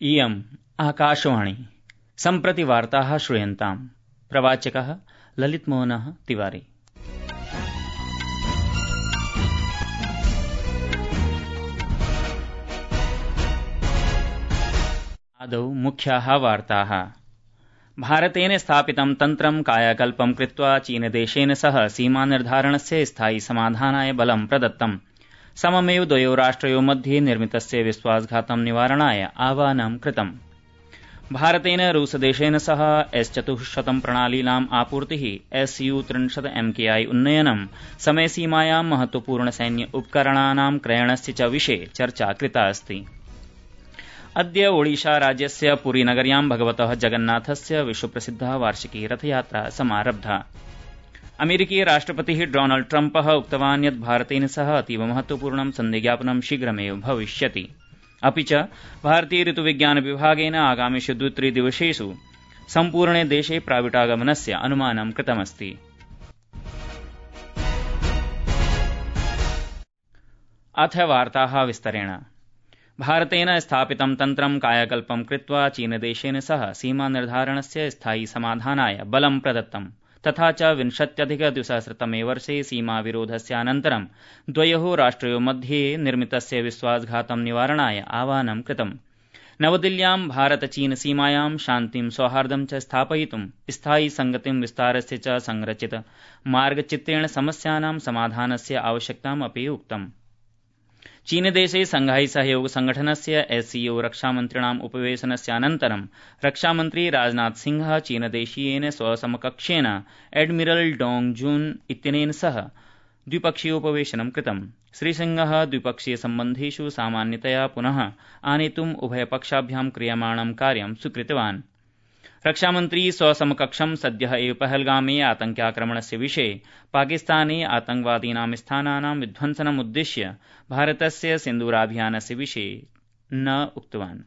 इयम् आकाशवाणी सम्प्रति वार्ताः श्रूयन्ताम्। प्रवाचकः ललितमोहनः तिवारी। आदौ मुख्याः वार्ताः। भारतेन स्थापितं तन्त्रं कायाकल्पं कृत्वा चीनदेशेन सह सीमानिर्धारणस्य स्थायि समाधानाय बलं प्रदत्तम्। सममेव द्वयोः राष्ट्रयोः मध्ये निर्मितस्य विश्वासघातं निवारणाय आह्वानं कृतम्। भारतेन रूसदेशेन सह S-400 प्रणालीनाम् आपूर्तिः SU-30MKI उन्नयनं समयसीमायां महत्वपूर्ण सैन्य उपकरणानां क्रयणस्य च विषये चर्चा कृता अस्ति। अद्य ओडिशा राज्यस्य पुरीनगर्यां भगवतः जगन्नाथस्य विश्वप्रसिद्धा वार्षिकी रथयात्रा समारब्धा। अमेरिकीय राष्ट्रपतिः डोनाल्ड ट्रम्पः उक्तवान् यत् भारतेन सह अतीव महत्वपूर्णं सन्धिज्ञापनं शीघ्रमेव भविष्यति। अपि च भारतीय ऋतुविज्ञान विभागेन आगामिषु 2-3 दिवसेषु सम्पूर्णे देशे प्राविटागमनस्य अनुमानं कृतमस्ति। अथ वार्ताः विस्तरेण। भारतेन स्थापितं तन्त्रं कायाकल्पं कृत्वा चीनदेशेन सह सीमानिर्धारणस्य स्थायि समाधानाय बलं प्रदत्तम्। तथा च 2020-तमे वर्षे सीमाविरोधस्यानन्तरं द्वयोः राष्ट्रयोः मध्ये निर्मितस्य विश्वासघातं निवारणाय आह्वानं कृतम्। नवदिल्ल्यां भारत-चीन सीमायां शान्तिं सौहार्दं च स्थापयितुं स्थायि संगतिं विस्तारस्य च संरचित मार्गचित्रेण समस्यानां समाधानस्य आवश्यकताम् अपि उक्तम्। चीनदेशे शंघाई सहयोग संघटनस्य SCO रक्षामन्त्रिणाम् उपवेशनस्यानन्तरं रक्षामन्त्री राजनाथ सिंहः चीनदेशीयेन स्वसमकक्षेण एडमिरल डोंग जून इत्यनेन सह द्विपक्षीयोपवेशनं कृतम्। श्रीसिंहः द्विपक्षीयसम्बन्धेषु सामान्यतया पुनः आनेतुम् उभयपक्षाभ्यां क्रियमाणं कार्यं स्वीकृतवान्। रक्षामन्त्री स्वसमकक्षं सद्यः एव पहलगामे आतङ्क्याक्रमणस्य विषये पाकिस्ताने आतङ्कवादीनां स्थानानां विध्वंसनमुद्दिश्य भारतस्य सिन्दूराभियानस्य विषये न उक्तवान्।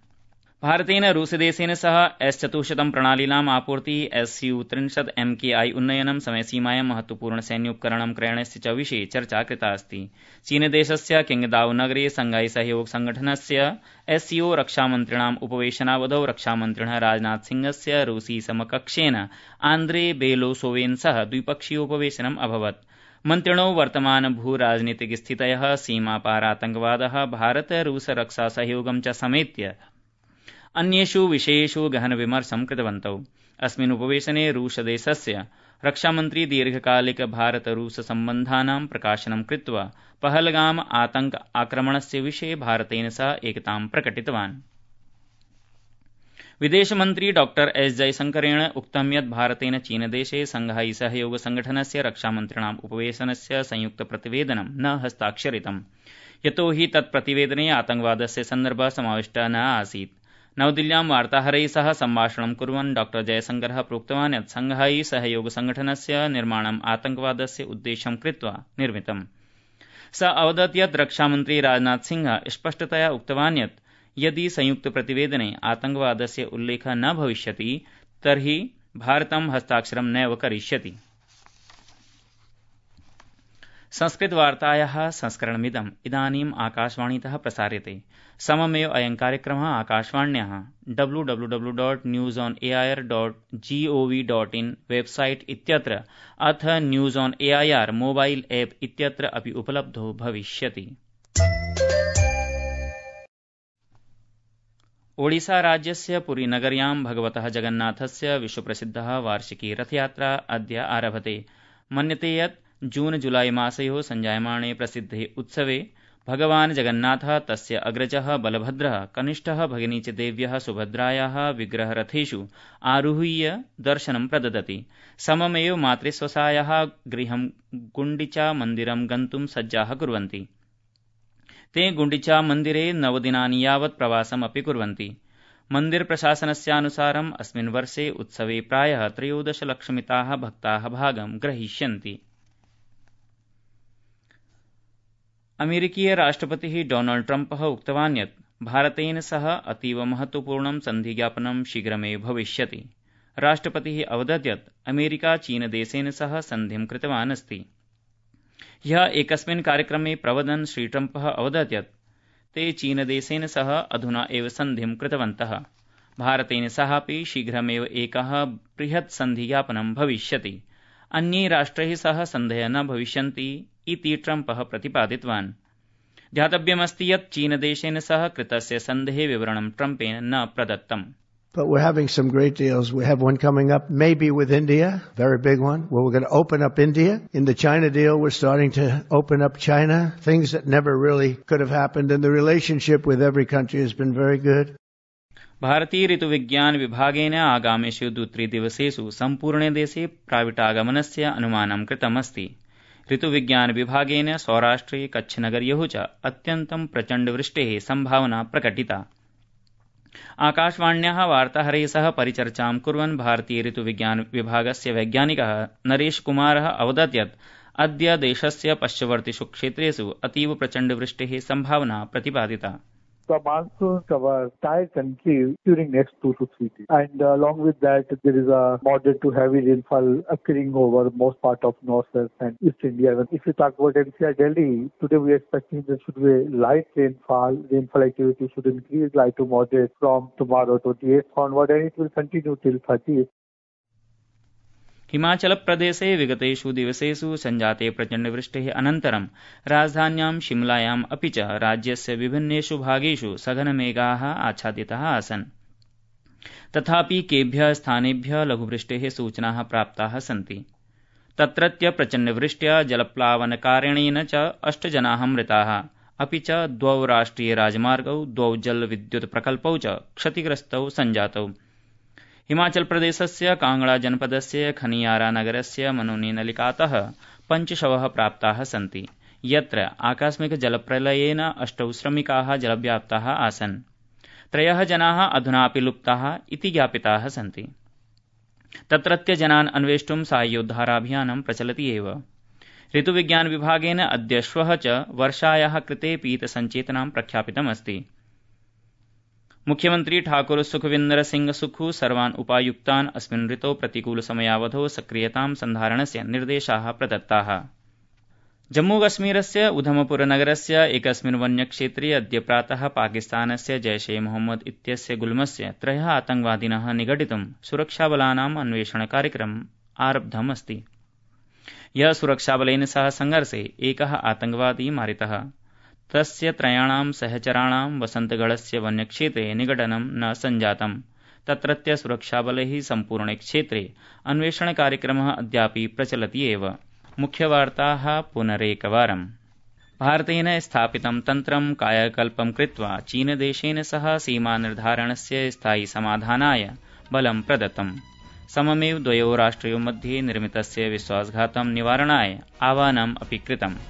भारतेन रूसदेशेन सह S-400 प्रणालीनाम् आपूर्तिः SU-30MKI उन्नयनं समयसीमायां महत्वपूर्ण सैन्योपकरणं क्रयणस्य च विषये चर्चा कृता अस्ति। चीनदेशस्य किंगदाओ नगरे शंघाई सहयोग संघटनस्य SCO रक्षामन्त्रिणाम् उपवेशनावधौ रक्षामन्त्रिणः राजनाथ सिंहस्य रूसी समकक्षेन आन्द्रे बेलोसोवेन सह द्विपक्षीयोपवेशनम् अभवत्। मन्त्रिणो वर्तमान भूराजनीतिकस्थितयः सीमापार आतङ्कवादः भारत रूस रक्षा सहयोगं च समेत्य अन्येषु विषयेषु गहन विमर्शं कृतवन्तौ। अस्मिन् उपवेशने रूसदेशस्य रक्षामन्त्री दीर्घकालिक भारत रूस सम्बन्धानां प्रकाशनं कृत्वा पहलगाम आतङ्क आक्रमणस्य विषये भारतेन सह एकतां प्रकटितवान्। विदेशमन्त्री डॉ S जयशंकरेण उक्तं यत् भारतेन चीनदेशे शंघाई सहयोग संघटनस्य रक्षामन्त्रिणाम् उपवेशनस्य संयुक्त प्रतिवेदनं न हस्ताक्षरितम्, यतो हि तत् प्रतिवेदने आतङ्कवादस्य सन्दर्भः समाविष्टः न आसीत्। नवदिल्ल्यां वार्ताहरैः सह सम्भाषणं कुर्वन् डॉ जयशंकरः प्रोक्तवान् यत् शंघाई सहयोग संघटनस्य निर्माणम् आतङ्कवादस्य उद्देश्यं कृत्वा निर्मितम्। स अवदत् यत् रक्षामन्त्री राजनाथ सिंहः स्पष्टतया उक्तवान् यत् यदि संयुक्त प्रतिवेदने आतङ्कवादस्य उल्लेखः न भविष्यति तर्हि भारतं हस्ताक्षरं नैव करिष्यति। संस्कृतवार्तायाः संस्करणमिदम् इदानीम् आकाशवाणीतः प्रसार्यते। सममेव अयं कार्यक्रमः आकाशवाण्याः www.newsonair.gov.in वेबसाइट इत्यत्र अथ news on AIR mobile app इत्यत्र अपि उपलब्धो भविष्यति। ओडिशा राज्यस्य पुरीनगर्यां भगवतः जगन्नाथस्य विश्वप्रसिद्धः वार्षिकी रथयात्रा अद्य आरभते। मन्यते यत् जून-जुलाई मासयोः संजायमाने प्रसिद्धे उत्सवे भगवान् जगन्नाथः तस्य अग्रजः बलभद्रः कनिष्ठः भगिनी च देव्यः सुभद्रायाः विग्रहरथेषु आरुह्य दर्शनं प्रददति। सममेव मातृस्वसायाः गृहं गुण्डिचा मन्दिरं गन्तुं सज्जाः कुर्वन्ति। ते गुण्डिचा मन्दिरे 9 दिनानि यावत् प्रवासम् अपि कुर्वन्ति। मन्दिर प्रशासनस्यानुसारम् अस्मिन् वर्षे उत्सवे प्रायः 13 लक्षमिताः भक्ताः भागं ग्रहीष्यन्ति। अमेरिकीय राष्ट्रपतिः डोनाल्ड ट्रम्पः उक्तवान् यत् भारतेन सह अतीव महत्वपूर्णं सन्धिज्ञापनं शीघ्रमेव भविष्यति। राष्ट्रपतिः अवदत् यत् अमेरिका चीनदेशेन सह सन्धिं कृतवान् अस्ति। ह्यः एकस्मिन् कार्यक्रमे प्रवदन् श्री ट्रम्पः अवदत् यत् ते चीनदेशेन सह अधुना एव सन्धिं कृतवन्तः। भारतेन सहापि शीघ्रमेव एकः बृहत् सन्धिज्ञापनं भविष्यति। अन्यै राष्ट्रैः सह सन्धयः न भविष्यन्ति इति ट्रम्पः प्रतिपादितवान्। ध्यातव्यमस्ति यत् चीनदेशेन सह कृतस्य सन्धेः विवरणं ट्रम्पेन न प्रदत्तम्। But we're having some great deals. We have one coming up, maybe with India, very big one, where we're going to open up India. In the China deal, we're starting to open up China, things that never really could have happened. And the relationship with every country has been very good. भारतीय ऋतुविज्ञान विभागेन आगामिषु 2-3 दिवसेषु सम्पूर्णे देशे प्राविटागमनस्य अनुमानं कृतमस्ति। ऋतुविज्ञान विभागेन सौराष्ट्रे कच्छनगर्योः च अत्यन्तं प्रचण्डवृष्टेः सम्भावना प्रकटिता। आकाशवाण्याः वार्ताहरैः सह परिचर्चां कुर्वन् भारतीय ऋतुविज्ञान विभागस्य वैज्ञानिकः नरेश कुमारः अवदत् यत् अद्य देशस्य पश्चिमवर्तिषु क्षेत्रेषु अतीव प्रचण्डवृष्टेः सम्भावना प्रतिपादिता। The monsoon cover entire country during next 2 to 3 days. And along with that, there is a moderate to heavy rainfall occurring over most part of northwest and east India. If you talk about NCR Delhi, today we are expecting there should be light rainfall. Rainfall activity should increase light to moderate from tomorrow 28th onward, and it will continue till 30th. हिमाचलप्रदेशे विगतेषु दिवसेषु सञ्जाते प्रचण्डवृष्टेः अनन्तरं राजधान्यां शिमलायाम् अपि च राज्यस्य विभिन्नेषु भागेषु सघनमेघाः आच्छादिताः आसन्। तथापि केभ्यः स्थानेभ्यः लघुवृष्टेः सूचनाः प्राप्ताः सन्ति। तत्रत्य प्रचण्डवृष्ट्या जलप्लावनकारणेन च 8 जनाः मृताः, अपि च 2 राष्ट्रियराजमार्गौ 2 जलविद्युत्प्रकल्पौ च क्षतिग्रस्तौ सञ्जातौ। हिमाचल प्रदेशस्य कांगड़ा जनपदस्य खनियारा नगरस्य मनोनी नलिकातः 5 शवः प्राप्ताः सन्ति, यत्र आकस्मिक जलप्रलयेन 8 श्रमिकाः जलव्याप्ताः आसन्। 3 जनाः अधुनापि लुप्ताः इति ज्ञापिताः सन्ति। तत्रत्य जनान् अन्वेष्टुं साहाय्योद्धाराभियानं प्रचलति एव। ऋतुविज्ञान विभागेन अद्य श्वः च वर्षायाः कृते पीतसञ्चेतनां प्रख्यापितमस्ति। मुख्यमंत्री ठाकुर सुखविन्दर सिंह सुखु सर्वान् उपायुक्तान् अस्मिन् ऋतौ प्रतिकूलसमयावधौ सक्रियतां सन्धारणस्य निर्देशाः प्रदत्ताः। जम्मूकश्मीरस्य उधमपुरनगरस्य एकस्मिन् वन्यक्षेत्रे अद्य प्रातः पाकिस्तानस्य जैश ए मोहम्मद इत्यस्य गुल्मस्य 3 आतङ्कवादिनः निगडितुं सुरक्षाबलानाम् अन्वेषणकार्यक्रमम् आरब्धमस्ति। यः सुरक्षाबलेन सह संघर्षे एकः आतङ्कवादी मारितः। तस्य 3 सहचराणां वसन्तगढस्य वन्यक्षेत्रे निगडनं न सञ्जातम्। तत्रत्य सुरक्षाबलैः सम्पूर्णे क्षेत्रे अन्वेषणकार्यक्रमः अद्यापि प्रचलति एव। मुख्यवार्ताः पुनरेकवारम्। भारतेन स्थापितं तन्त्रं कायाकल्पं कृत्वा चीनदेशेन सह सीमानिर्धारणस्य स्थायि समाधानाय बलं प्रदत्तम्। सममेव 2 राष्ट्रयोः मध्ये निर्मितस्य विश्वासघातं निवारणाय आह्वानम् अपि कृतम्।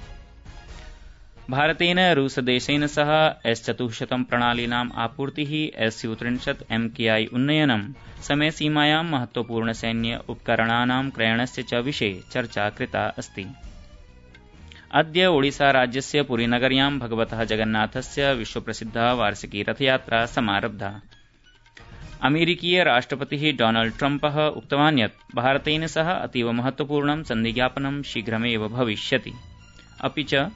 भारतेन रूसदेशेन सह S-400 प्रणालीनाम् आपूर्तिः, SU-30 MKI उन्नयनं, समयसीमायां महत्वपूर्णसैन्य उपकरणानां क्रयणस्य च विषये चर्चा कृता अस्ति। अद्य ओडिसा राज्यस्य पुरीनगर्यां भगवतः जगन्नाथस्य विश्वप्रसिद्धा वार्षिकी रथयात्रा समारब्धा। अमेरिकीय राष्ट्रपतिः डोनाल्ड ट्रम्पः उक्तवान् यत् भारतेन सह अतीव महत्वपूर्णं सन्धिज्ञापनं शीघ्रमेव भविष्यति। अपि च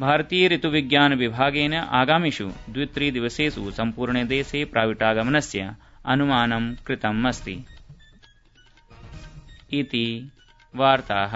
भारतीय ऋतुविज्ञान विभागेन आगामिषु 2-3 दिवसेषु सम्पूर्णे देशे प्राविटागमनस्य अनुमानं कृतम् अस्ति। इति वार्ताः।